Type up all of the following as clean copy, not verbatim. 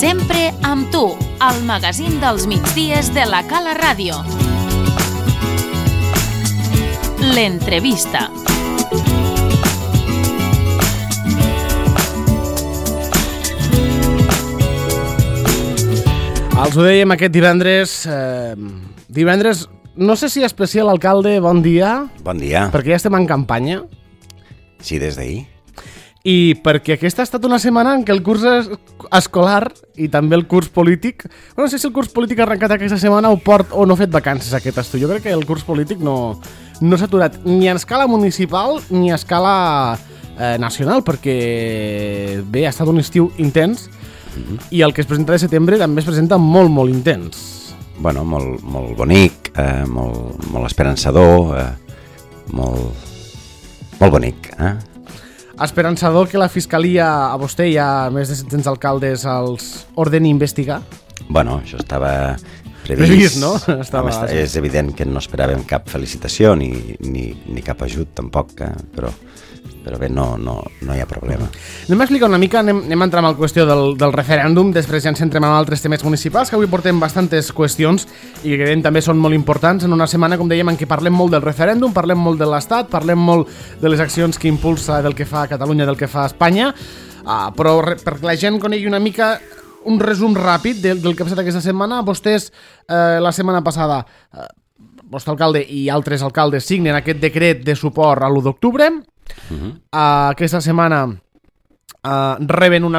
Sempre amb tu, al magazín dels migdies de la Cala Ràdio. L'entrevista. Els ho dèiem aquest divendres. Divendres, no sé si especial alcalde, bon dia. Bon dia. Perquè ja estem en campanya. Sí, des d'ahir. I perquè aquesta ha estat una setmana en què el curs escolar i també el curs polític... No sé si el curs polític ha arrencat aquesta setmana o no ha fet vacances aquest estiu. Jo crec que el curs polític no s'ha aturat ni a escala municipal ni a escala nacional, perquè bé, ha estat un estiu intens i el que es presenta de setembre també es presenta molt, molt intens. Bueno, molt bonic, molt esperançador, molt bonic, Esperançador que la Fiscalia a vostè i a més de 700 alcaldes els ordeni investigar? Bueno, això estava previst, no? És evident que no esperàvem cap felicitació ni cap ajut tampoc, però bé, no hi ha problema. Anem a explicar una mica, anem a entrar en la qüestió del referèndum, després ja ens centrem en altres temes municipals, que avui portem bastantes qüestions i que creiem també són molt importants en una setmana, com dèiem, en què parlem molt del referèndum, parlem molt de l'Estat, parlem molt de les accions que impulsa, del que fa Catalunya, del que fa Espanya, però perquè la gent conegui una mica un resum ràpid del que ha passat aquesta setmana. Vostès la setmana passada, vostre alcalde i altres alcaldes signen aquest decret de suport a l'1 d'octubre. Aquesta setmana reben un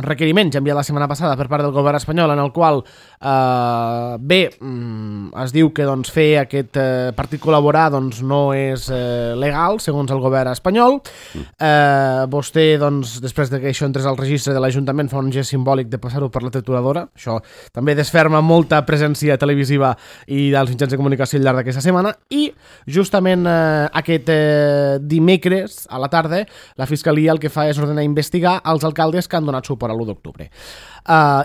requeriment ja enviat la setmana passada per part del govern espanyol, en el qual es diu que fer aquest partit col·laborar no és legal segons el govern espanyol. Vostè, després que això entrés al registre de l'Ajuntament, fa un gest simbòlic de passar-ho per la trituradora. Això també desferma molta presència televisiva i dels mitjans de comunicació al llarg d'aquesta setmana. I justament aquest dimecres a la tarda la Fiscalia el que fa és ordenar investigar els alcaldes que han donat suport a l'1 d'octubre.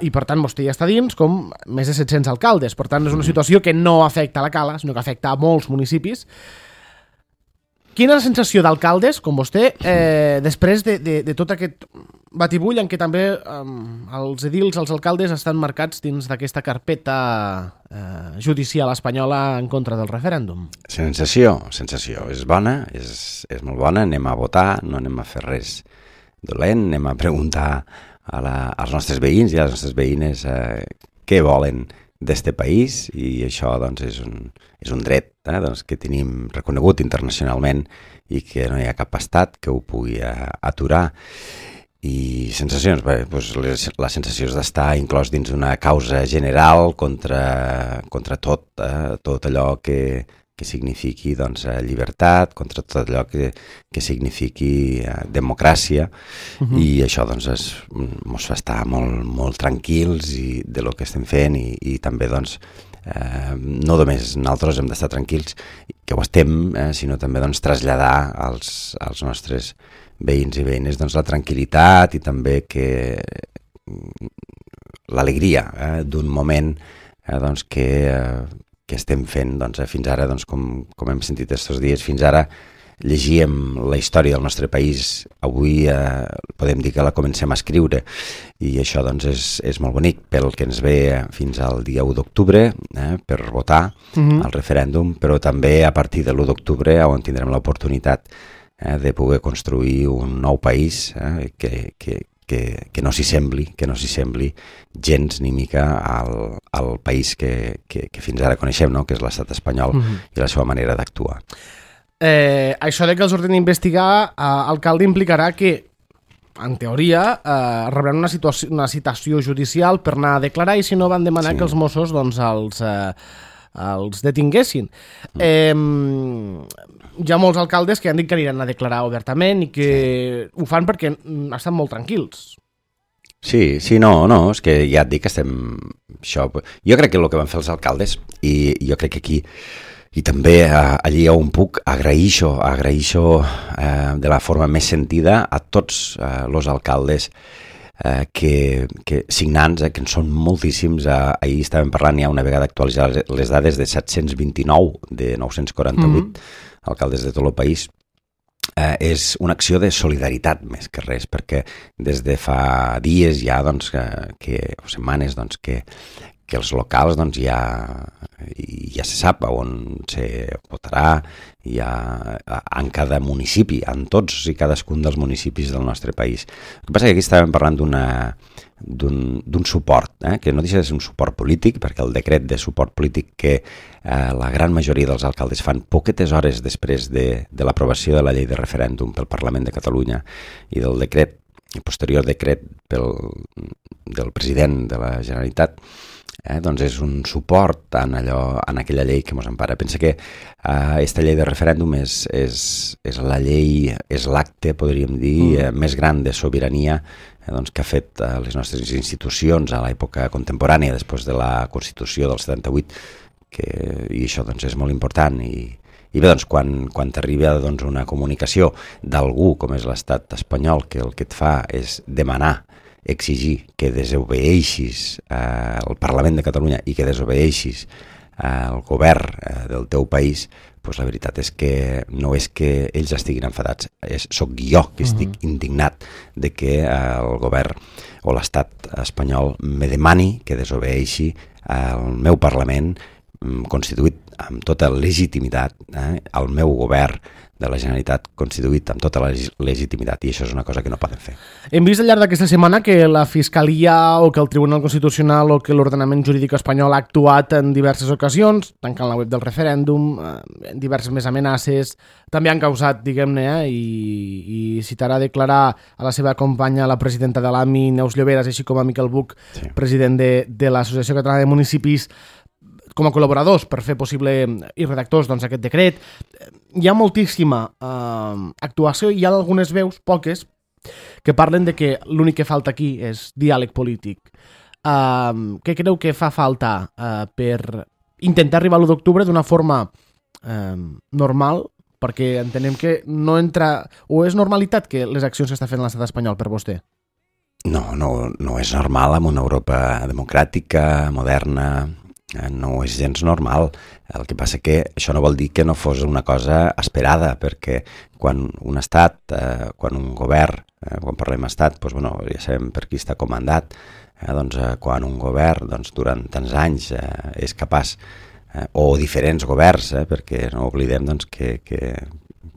I per tant vostè ja està dins com més de 700 alcaldes. Per tant és una situació que no afecta a la Cala, sinó que afecta a molts municipis. Quina és la sensació d'alcaldes com vostè després de tot aquest batibull en què també els edils, els alcaldes estan marcats dins d'aquesta carpeta judicial espanyola en contra del referèndum? Sensació, és bona, és molt bona. Anem a votar, no anem a fer res dolent, anem a preguntar als nostres veïns i a les nostres veïnes què volen d'este país, i això és un dret que tenim reconegut internacionalment i que no hi ha cap estat que ho pugui aturar. I sensacions, la sensació és d'estar inclòs dins una causa general contra tot allò que signifiqui llibertat, contra tot allò que signifiqui democràcia, i això ens fa estar molt tranquils de lo que estem fent, i també no només nosaltres hem d'estar tranquils, que ho estem, sinó també traslladar als nostres veïns i veïnes la tranquil·litat i també que l'alegria d'un moment que estem fent fins ara, com hem sentit aquests dies. Fins ara llegíem la història del nostre país, avui podem dir que la comencem a escriure, i això és molt bonic pel que ens ve fins al dia 1 d'octubre per votar al referèndum, però també a partir de l'1 d'octubre on tindrem l'oportunitat de poder construir un nou país que no s'hi sembli gens ni mica al país que fins ara coneixem, que és l'estat espanyol i la seva manera d'actuar. Això de que els ordeni investigar, alcalde, implicarà que, en teoria, rebran una citació judicial per anar a declarar, i si no van demanar que els Mossos els detinguessin. Hi ha molts alcaldes que han dit que aniran a declarar obertament i que ho fan perquè estan molt tranquils. Sí, no, és que ja et dic que estem... Jo crec que el que van fer els alcaldes, i jo crec que aquí, i també allí on puc, agraeixo de la forma més sentida a tots els alcaldes que signants, que en són moltíssims. Ahir estàvem parlant, ja una vegada actualitzar les dades, de 729 de 948 alcaldes de tot el país, és una acció de solidaritat més que res, perquè des de fa dies ja, doncs, o setmanes, doncs, que els locals doncs, ja se sap on se votarà, en cada municipi, en tots i cadascun dels municipis del nostre país. El que passa és que aquí estàvem parlant d'un suport, que no deixa de ser un suport polític, perquè el decret de suport polític que la gran majoria dels alcaldes fan poquetes hores després de l'aprovació de la llei de referèndum pel Parlament de Catalunya i del decret, el posterior decret del president de la Generalitat, doncs és un suport en aquella llei que ens empara. Pensa que aquesta llei de referèndum és la llei, és l'acte, podríem dir, més gran de sobirania doncs, que ha fet les nostres institucions a l'època contemporània, després de la Constitució del 78, i això doncs, és molt important. I bé, doncs, quan t'arriba doncs, una comunicació d'algú com és l'estat espanyol, que el que et fa és demanar, exigir que desobeeixis el Parlament de Catalunya i que desobeeixis el govern del teu país, doncs la veritat és que no és que ells estiguin enfadats, sóc jo que estic indignat de que el govern o l'estat espanyol me demani que desobeeixi el meu Parlament constituït amb tota legitimitat, el meu govern de la Generalitat constituït amb tota la legitimitat, i això és una cosa que no poden fer. Hem vist al llarg d'aquesta setmana que la Fiscalia o que el Tribunal Constitucional o que l'ordenament jurídic espanyol ha actuat en diverses ocasions, tancant la web del referèndum, diverses més amenaces, també han causat, diguem-ne, i citarà declarar a la seva companya, la presidenta de l'AMI, Neus Lloberas, així com a Miquel Buch, president de l'Associació Catalana de Municipis, com a col·laboradors per fer possible i redactors doncs, aquest decret. Hi ha moltíssima actuació i hi ha algunes veus, poques, que parlen de que l'únic que falta aquí és diàleg polític. Què creu que fa falta per intentar arribar a l'1 d'octubre d'una forma normal? Perquè entenem que no entra... O és normalitat que les accions que està fent l'estat espanyol per vostè? No és normal en una Europa democràtica, moderna... No és gens normal. El que passa que això no vol dir que no fos una cosa esperada, perquè quan un estat, quan un govern, quan parlem estat, doncs, bueno, ja sabem per qui està comandat, doncs, quan un govern doncs, durant tants anys és capaç, o diferents governs, perquè no oblidem doncs, que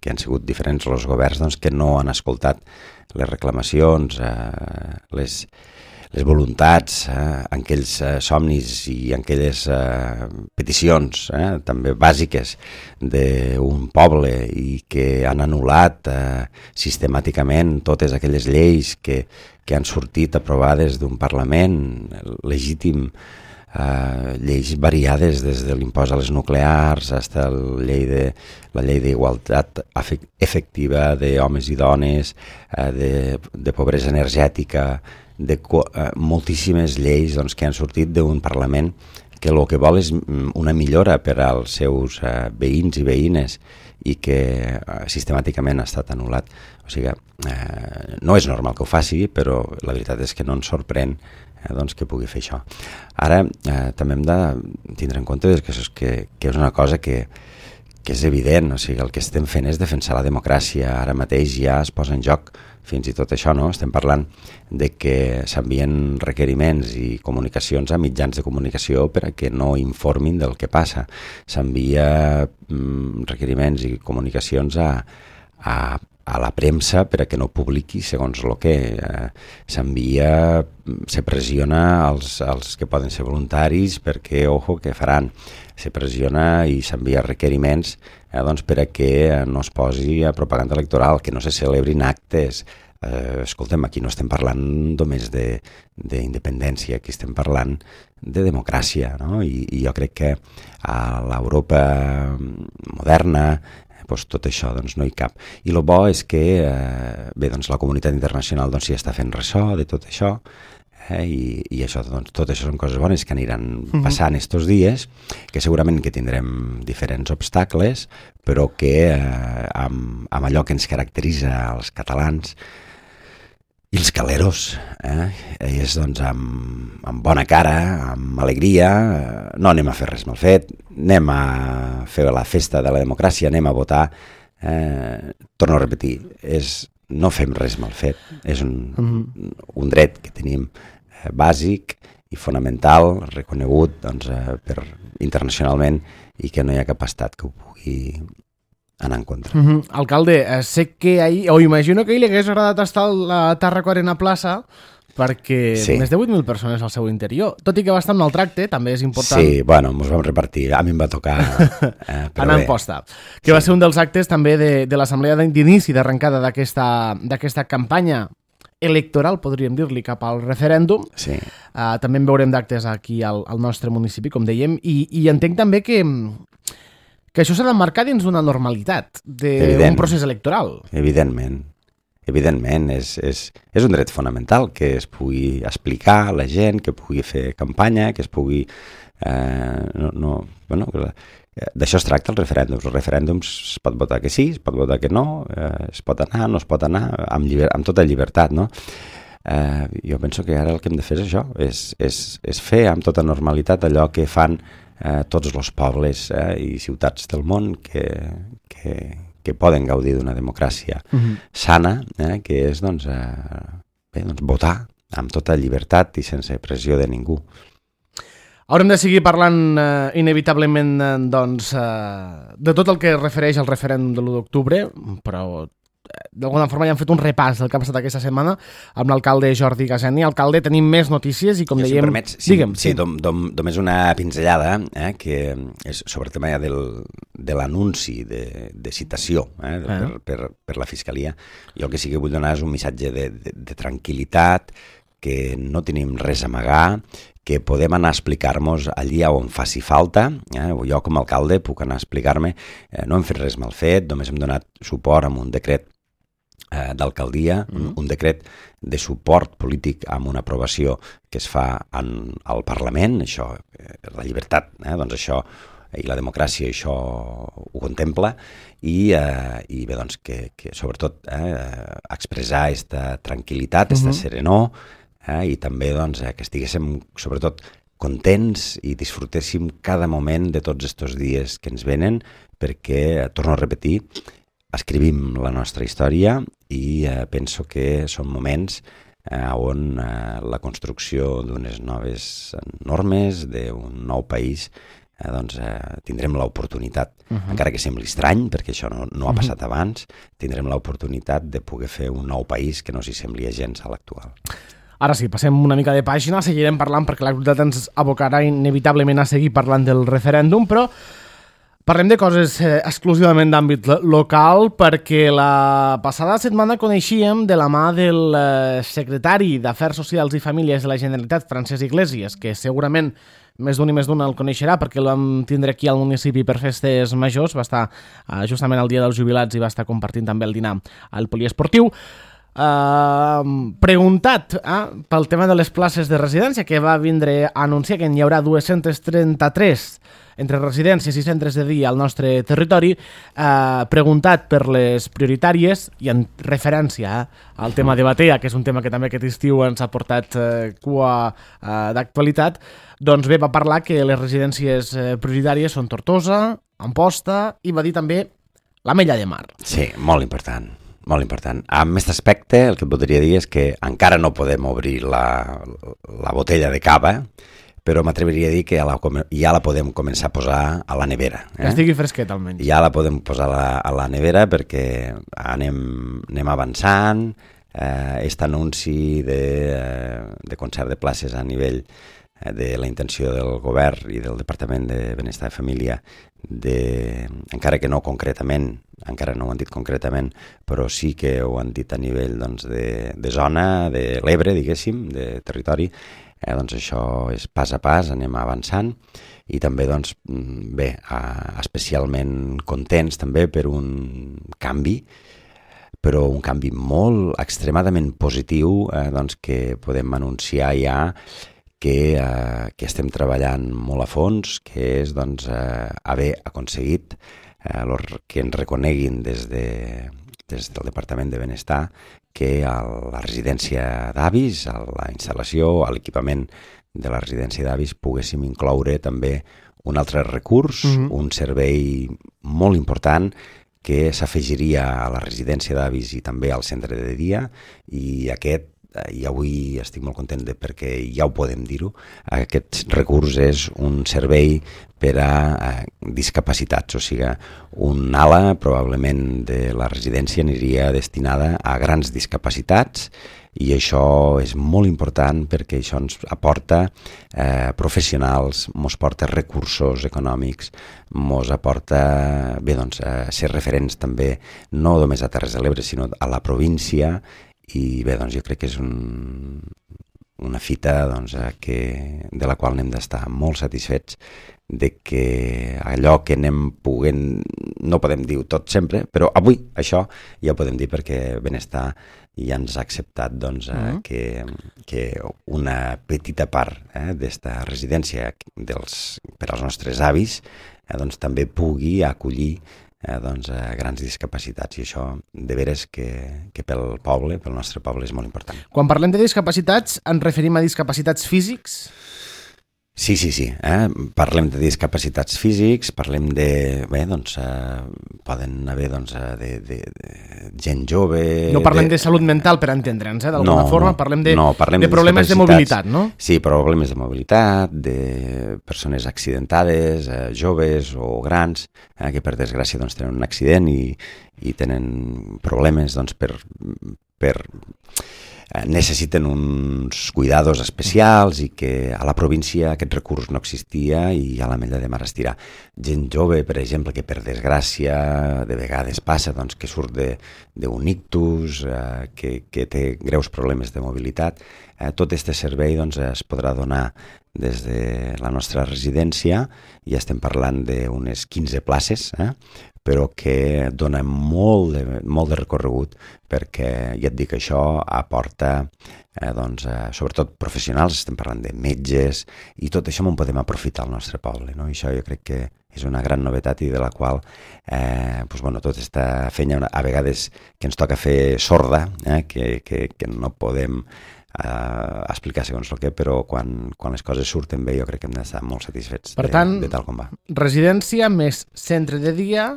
han sigut diferents els governs doncs, que no han escoltat les reclamacions, les voluntats, aquells somnis i aquelles peticions també bàsiques d'un poble i que han anul·lat sistemàticament totes aquelles lleis que han sortit aprovades d'un Parlament legítim, lleis variades des de l'impost a les nuclears fins a la llei d'igualtat efectiva d'homes i dones, de pobresa energètica, de moltíssimes lleis doncs, que han sortit d'un Parlament que el que vol és una millora per als seus veïns i veïnes i que sistemàticament ha estat anul·lat. O sigui, no és normal que ho faci, però la veritat és que no ens sorprèn doncs, que pugui fer això. Ara també hem de tindre en compte que és una cosa que és evident, o sigui, el que estem fent és defensar la democràcia. Ara mateix ja es posa en joc fins i tot això, no? Estem parlant de que s'envien requeriments i comunicacions a mitjans de comunicació per a que no informin del que passa. S'envia requeriments i comunicacions a la premsa per a que no publiqui segons el que s'envia, se pressiona els que poden ser voluntaris perquè, ojo, que faran. Se pressiona i s'envia requeriments doncs per a que no es posi a propaganda electoral, que no se celebrin actes. Escoltem, aquí no estem parlant només d'independència, aquí estem parlant de democràcia, no? I jo crec que a l'Europa moderna doncs tot això doncs, no hi cap. I el bo és que bé, doncs, la comunitat internacional doncs, ja està fent ressò de tot això, i això, doncs, tot això són coses bones que aniran passant estos dies, que segurament que tindrem diferents obstacles, però que amb allò que ens caracteritza als catalans i els caleros, és doncs amb bona cara, amb alegria, no anem a fer res mal fet, anem a fer la festa de la democràcia, anem a votar torno a repetir, no fem res mal fet, és un dret que tenim bàsic i fonamental, reconegut internacionalment, i que no hi ha cap estat que ho pugui anar en contra. Alcalde, sé que ahir, o imagino que ahir li hagués agradat estar a la Tàrraco Arena Plaça, perquè més de 8.000 persones al seu interior. Tot i que va estar en maltracte, també és important. Sí, bueno, ens vam repartir. A mi em va tocar anar en posta. Que va ser un dels actes també de l'assemblea d'inici, d'arrencada d'aquesta campanya electoral, podríem dir-li, cap al referèndum. Sí. També en veurem d'actes aquí al nostre municipi, com dèiem, i entenc també que això s'ha d'emmarcar dins d'una normalitat, d'un procés electoral. Evidentment, és un dret fonamental que es pugui explicar a la gent, que pugui fer campanya, que es pugui... D'això es tracta els referèndums. Els referèndums es pot votar que sí, es pot votar que no, es pot anar, no es pot anar, amb tota llibertat, no? Jo penso que ara el que hem de fer és això, és fer amb tota normalitat allò que fan tots els pobles i ciutats del món que poden gaudir d'una democràcia sana, que és votar amb tota llibertat i sense pressió de ningú. Haurem de seguir parlant inevitablement de tot el que es refereix al referèndum de l'1 d'octubre, però d'alguna forma ja hem fet un repàs del que ha passat aquesta setmana amb l'alcalde Jordi Gaseni. Alcalde, tenim més notícies i com dèiem... Si em permets, digue'm, sí, només una pinzellada, que és sobre el tema de l'anunci de citació per la Fiscalia. Jo el que sí que vull donar és un missatge de tranquil·litat, que no tenim res a amagar, que podem anar a explicar-nos allí on faci falta. Jo com a alcalde puc anar a explicar-me, no hem fet res mal fet, només hem donat suport amb un decret d'alcaldia, un decret de suport polític amb una aprovació que es fa al Parlament, això, la llibertat, doncs això, i la democràcia això ho contempla, i bé, doncs que sobretot expressar aquesta tranquil·litat, aquesta serenor, i també doncs, que estiguéssim sobretot contents i disfrutéssim cada moment de tots aquests dies que ens venen, perquè, torno a repetir, escrivim la nostra història i penso que són moments on la construcció d'unes noves normes, d'un nou país, tindrem l'oportunitat, encara que sembli estrany, perquè això no ha passat abans, tindrem l'oportunitat de poder fer un nou país que no s'hi sembli gens a l'actual. Ara sí, passem una mica de pàgina, seguirem parlant perquè l'actualitat ens abocarà inevitablement a seguir parlant del referèndum, però parlem de coses exclusivament d'àmbit local, perquè la passada setmana coneixíem de la mà del secretari d'Afers Socials i Famílies de la Generalitat, Francesc Iglesias, que segurament més d'un i més d'una el coneixerà perquè el vam tindre aquí al municipi per festes majors, va estar justament el dia dels jubilats i va estar compartint també el dinar al poliesportiu. Preguntat pel tema de les places de residència, que va vindre a anunciar que n'hi haurà 233 entre residències i centres de dia al nostre territori, preguntat per les prioritàries i en referència al tema de Batea, que és un tema que també aquest estiu ens ha portat cua d'actualitat, doncs bé, va parlar que les residències prioritàries són Tortosa, Amposta i va dir també l'Ametlla de Mar. Sí, molt important. Molt important. Amb aquest aspecte, el que et podria dir és que encara no podem obrir la botella de cava, però m'atreviria a dir que ja la podem començar a posar a la nevera. Que estigui fresquet, almenys. Ja la podem posar a la nevera perquè anem avançant. Aquest anunci de concert de places a nivell de la intenció del govern i del Departament de Benestar i Família, encara que no concretament, encara no ho han dit concretament, però sí que ho han dit a nivell de zona, de l'Ebre, diguéssim, de territori, doncs això és pas a pas, anem avançant, i també, doncs, bé, especialment contents també per un canvi, però un canvi molt extremadament positiu, doncs que podem anunciar ja que estem treballant molt a fons, que és doncs, haver aconseguit que ens reconeguin des del Departament de Benestar que a la residència d'avis, a la instal·lació, a l'equipament de la residència d'avis, poguéssim incloure també un altre recurs, un servei molt important que s'afegiria a la residència d'avis i també al centre de dia, i aquest, i avui estic molt content perquè ja ho podem dir-ho, aquest recurs és un servei per a discapacitats, o sigui, un ala probablement de la residència aniria destinada a grans discapacitats, i això és molt important perquè això ens aporta professionals, ens porta recursos econòmics, ens aporta ser referents també no només a Terres de l'Ebre sinó a la província. I bé, doncs jo crec que és una fita de la qual n'hem d'estar molt satisfets, de que allò que anem poguent, no podem dir tot sempre, però avui això ja ho podem dir perquè Benestar ja ens ha acceptat que una petita part d'esta residència per als nostres avis també pugui acollir grans discapacitats, i això de veres que pel poble, pel nostre poble, és molt important. Quan parlem de discapacitats, ens referim a discapacitats físics? Sí. Parlem de discapacitats físics, parlem de... poden haver de gent jove... No parlem de salut mental, per entendre'ns, d'alguna forma, parlem de problemes de mobilitat, no? Sí, problemes de mobilitat, de persones accidentades, joves o grans, que per desgràcia tenen un accident i tenen problemes per necessiten uns cuidados especials, i que a la província aquest recurs no existia i a l'Ametlla de Mar Estirà. Gent jove, per exemple, que per desgràcia de vegades passa que surt d'un ictus, que té greus problemes de mobilitat, tot aquest servei es podrà donar des de la nostra residència, i estem parlant d'unes 15 places, però que dona molt de recorregut, perquè ja et dic, això aporta sobretot professionals, estem parlant de metges, i tot això en podem aprofitar al nostre poble, no? I això jo crec que és una gran novetat, i de la qual tota aquesta feina a vegades que ens toca fer sorda, que no podem explicar segons el que, però quan les coses surten bé jo crec que hem d'estar molt satisfets de tal com va. Residència més centre de dia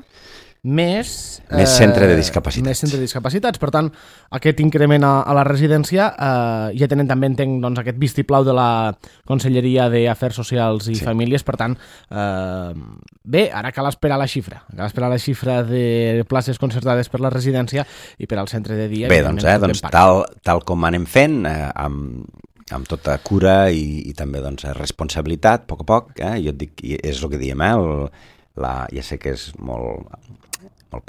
més centre de discapacitats. Més centre de discapacitats. Per tant, aquest increment a la residència ja tenen també, entenc, aquest vistiplau de la Conselleria d'Afers Socials i Famílies. Per tant, bé, ara cal esperar la xifra. Cal esperar la xifra de places concertades per la residència i per al centre de dia. Bé, tal com anem fent, amb tota cura i també responsabilitat, a poc, jo et dic, és el que diem, ja sé que és molt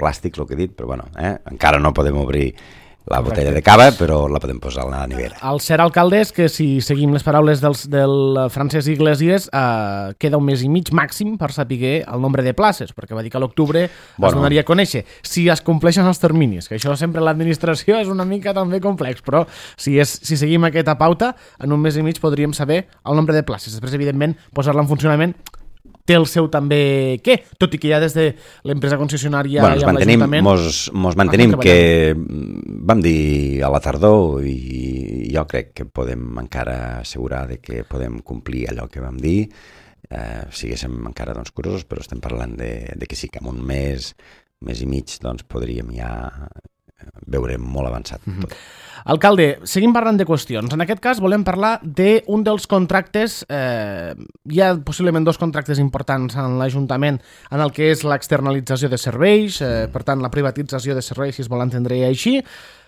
plàstic el que he dit, però encara no podem obrir la botella de cava, però la podem posar a la nevera. El cert alcalde és que, si seguim les paraules del Francesc Iglesias, queda un mes i mig màxim per saber el nombre de places, perquè va dir que a l'octubre es donaria a conèixer. Si es compleixen els terminis, que això sempre l'administració és una mica també complex, però si seguim aquesta pauta, en un mes i mig podríem saber el nombre de places. Després, evidentment, posar-la en funcionament té el seu també què, tot i que ja des de l'empresa concessionària i amb l'Ajuntament... Mos mantenim que vam dir a la tardor, i jo crec que podem encara assegurar que podem complir allò que vam dir, siguéssim encara curosos, però estem parlant de que sí, que en un mes i mig podríem ja veure molt avançat tot. Alcalde, seguim parlant de qüestions. En aquest cas volem parlar d'un dels contractes, hi ha possiblement dos contractes importants en l'Ajuntament, en el que és l'externalització de serveis, per tant la privatització de serveis, si es vol entendre així,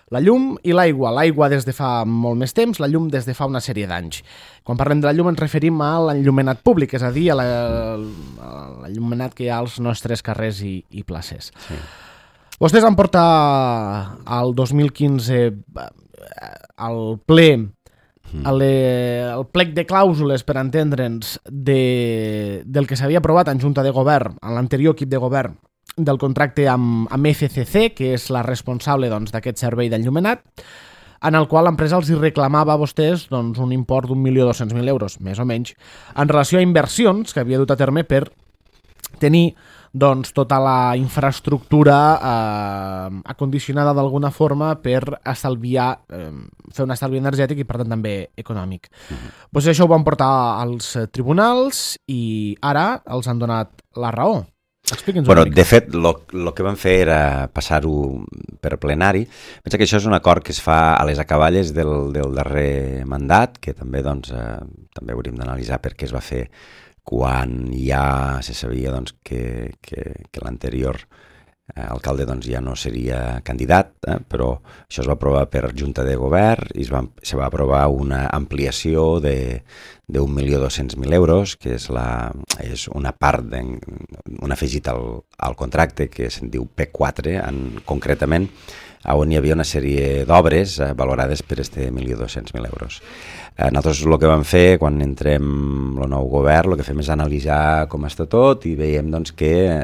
la llum i l'aigua. L'aigua des de fa molt més temps, la llum des de fa una sèrie d'anys. Quan parlem de la llum ens referim a l'enllumenat públic, és a dir, a l'enllumenat que hi ha als nostres carrers i places. Sí. Vostès van portar al 2015 al ple el plec de clàusules, per entendre'ns, del que s'havia aprovat en Junta de Govern, en l'anterior equip de govern, del contracte amb FCC, que és la responsable d'aquest servei d'enllumenat, en el qual l'empresa els reclamava a vostès un import d'1.200.000 euros, més o menys, en relació a inversions que havia dut a terme per tenir tota la infraestructura acondicionada d'alguna forma per estalviar, fer un estalvi energètic i per tant també econòmic. Vostès això ho van portar als tribunals i ara els han donat la raó. Expliqui'ns Bueno, una mica. de fet, el que vam fer era passar-ho per plenari. Pensa que això és un acord que es fa a les acaballes del darrer mandat, que també, doncs, també hauríem d'analitzar per què es va fer quan ja se sabia doncs, que l'anterior alcalde doncs, ja no seria candidat, però això es va aprovar per Junta de Govern i se va aprovar una ampliació de 1.200.000 euros, que és una part, un afegit al contracte que se'n diu P4, concretament, on hi havia una sèrie d'obres valorades per aquests 1.200.000 euros. Nosaltres el que vam fer quan entrem el nou govern, el que fem és analitzar com està tot i veiem doncs, que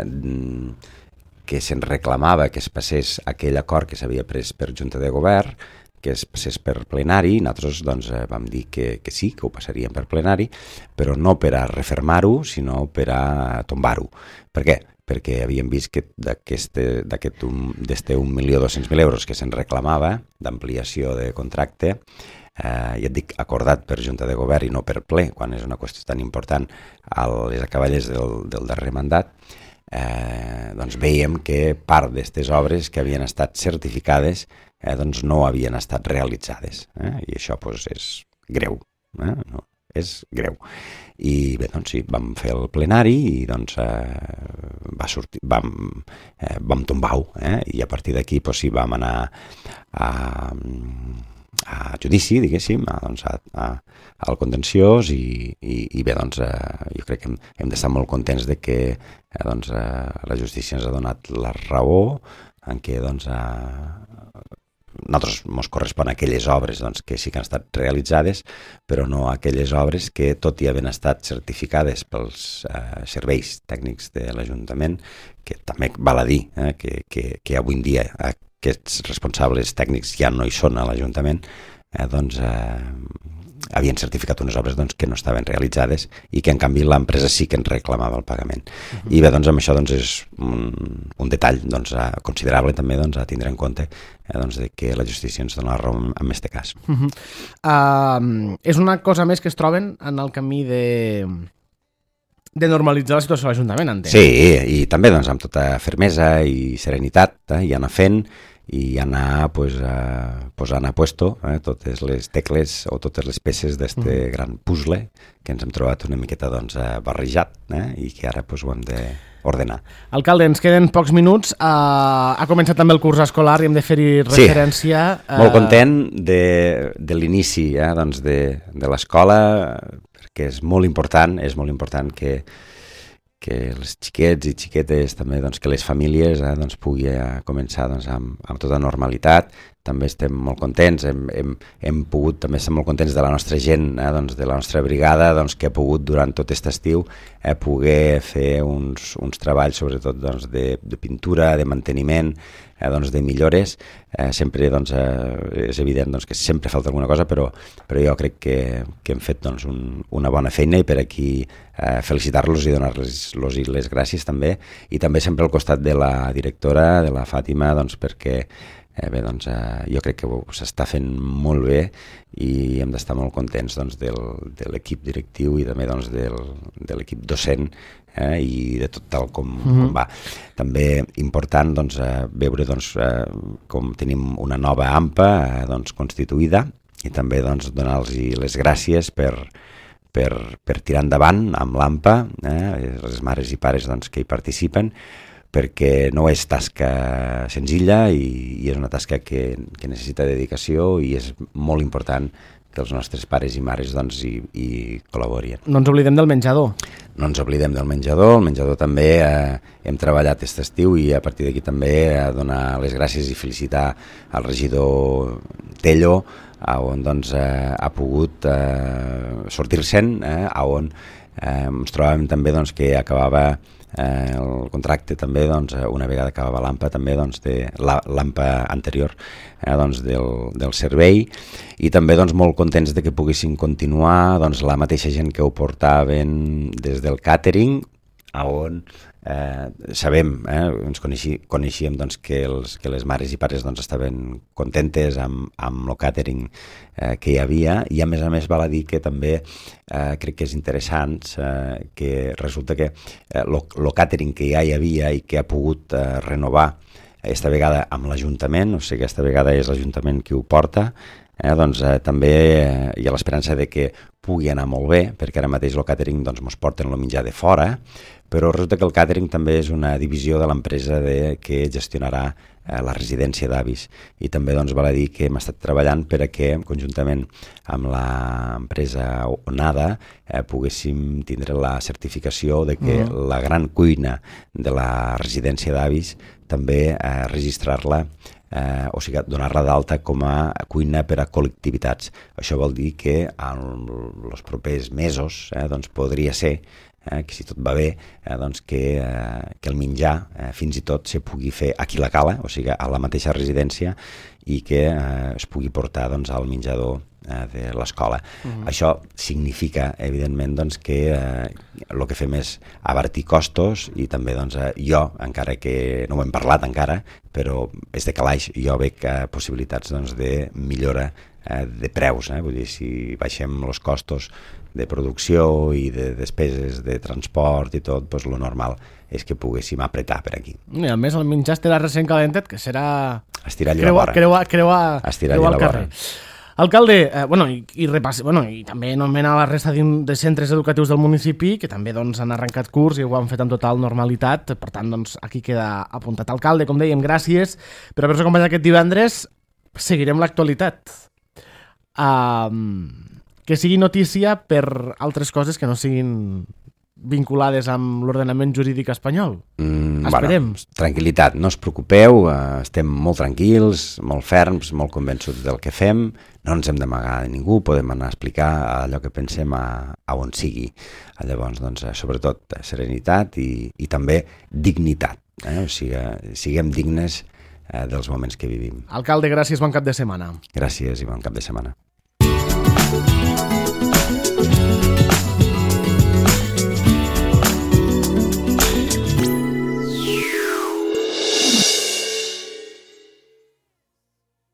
se'n reclamava que es passés aquell acord que s'havia pres per Junta de Govern, que es passés per plenari. Nosaltres doncs, vam dir que sí, que ho passaríem per plenari, però no per a refermar-ho, sinó per a tombar-ho. Per què? Perquè havíem vist que d'este 1.200.000 euros que se'n reclamava d'ampliació de contracte, ja et dic, acordat per Junta de Govern i no per ple, quan és una qüestió tan important a les acaballes del darrer mandat, doncs veiem que part d'aquestes obres que havien estat certificades doncs no havien estat realitzades, i això doncs, és greu, no? És greu. I bé, doncs sí, vam fer el plenari i doncs va sortir, vam tombar-ho, i a partir d'aquí doncs, sí, vam anar a judici, diguéssim, al contenciós i bé, doncs, jo crec que hem d'estar molt contents de que doncs, la justícia ens ha donat la raó en què doncs, nosaltres ens correspon a aquelles obres doncs, que sí que han estat realitzades, però no a aquelles obres que, tot i haver estat certificades pels serveis tècnics de l'Ajuntament, que també val a dir que avui en dia aquests responsables tècnics ja no hi són a l'Ajuntament, doncs havien certificat unes obres doncs, que no estaven realitzades i que en canvi l'empresa sí que ens reclamava el pagament. I bé, doncs amb això doncs, és un detall doncs, considerable també doncs, a tindre en compte doncs, de que la justícia ens dona la raó en aquest cas. És una cosa més que es troben en el camí de normalitzar la situació a l'Ajuntament, entenc. Sí, i també doncs, amb tota fermesa i serenitat i anar fent i anar posant a puesto totes les tecles o totes les peces d'aquest gran puzzle que ens hem trobat una miqueta doncs, barrejat i que ara ho hem d'ordenar. Alcalde, ens queden pocs minuts. Ha començat també el curs escolar i hem de fer-hi referència. Sí, molt content de l'inici doncs, de l'escola, perquè és molt important que els xiquets i xiquetes, també doncs, que les famílies doncs, puguin començar doncs, amb tota normalitat. També estem molt contents, hem pogut també estar molt contents de la nostra gent, doncs, de la nostra brigada, doncs, que ha pogut durant tot aquest estiu poder fer uns treballs sobretot doncs, de pintura, de manteniment, doncs, de millores. Sempre doncs, és evident doncs, que sempre falta alguna cosa, però jo crec que hem fet doncs, una bona feina i per aquí felicitar-los i donar-los les gràcies també, i també sempre al costat de la directora, de la Fàtima, doncs, perquè bé, doncs, jo crec que s'està fent molt bé i hem d'estar molt contents doncs, de l'equip directiu i també doncs, de l'equip docent i de tot tal com va. També important doncs, veure doncs, com tenim una nova AMPA doncs, constituïda i també doncs, donar-los les gràcies per tirar endavant amb l'AMPA, les mares i pares doncs, que hi participen, perquè no és tasca senzilla i és una tasca que necessita dedicació i és molt important que els nostres pares i mares doncs, hi col·laborin. No ens oblidem del menjador. No ens oblidem del menjador. El menjador també hem treballat aquest estiu i a partir d'aquí també donar les gràcies i felicitar al regidor Tello, on doncs, ha pogut sortir-se'n, on ens trobàvem també doncs, que acabava el contracte també, doncs, una vegada acabava l'AMPA també, doncs, de l'AMPA anterior doncs, del servei, i també doncs, molt contents de que poguessin continuar doncs, la mateixa gent que ho portaven des del càtering on sabem, ens coneixíem doncs, que les mares i pares doncs, estaven contentes amb el càtering que hi havia, i a més val a dir que també crec que és interessant que resulta que el càtering que ja hi havia i que ha pogut renovar aquesta vegada amb l'Ajuntament, o sigui, aquesta vegada és l'Ajuntament qui ho porta, doncs també hi ha l'esperança de que pugui anar molt bé, perquè ara mateix el càtering doncs, mos porten el menjar de fora, però resulta que el càtering també és una divisió de l'empresa que gestionarà la residència d'avis, i també doncs, val a dir que hem estat treballant per a que, conjuntament amb l'empresa Onada, poguéssim tindre la certificació de que la gran cuina de la residència d'avis també registrar-la, o sigui, donar-la d'alta com a cuina per a col·lectivitats. Això vol dir que en els propers mesos doncs podria ser que si tot va bé, doncs que el menjar fins i tot se pugui fer aquí a la cala, o sigui, a la mateixa residència, i que es pugui portar doncs, al menjador de l'escola. Això significa, evidentment, doncs, que el que fem és abatir costos, i també doncs, jo, encara que no ho hem parlat encara, però és de calaix, jo veig possibilitats doncs, de millora de preus, vull dir, si baixem els costos de producció i de despeses de transport i tot, doncs el normal és que poguéssim apretar per aquí. I a més el menjar estarà recent calentet, que serà estirar allà a la creuar al carrer. Alcalde, i també anomena la resta de centres educatius del municipi, que també doncs, han arrencat curs i ho han fet amb total normalitat, per tant doncs, aquí queda apuntat. Alcalde, com dèiem, gràcies per haver-nos acompanyat aquest divendres. Seguirem l'actualitat. Que sigui notícia per altres coses que no siguin vinculades amb l'ordenament jurídic espanyol. Esperem. Bueno, tranquil·litat, no us preocupeu, estem molt tranquils, molt ferms, molt convençuts del que fem, no ens hem d'amagar de ningú, podem anar a explicar allò que pensem a on sigui. Llavors, doncs, sobretot, serenitat i també dignitat. O sigui, siguem dignes dels moments que vivim. Alcalde, gràcies, bon cap de setmana. Gràcies i bon cap de setmana.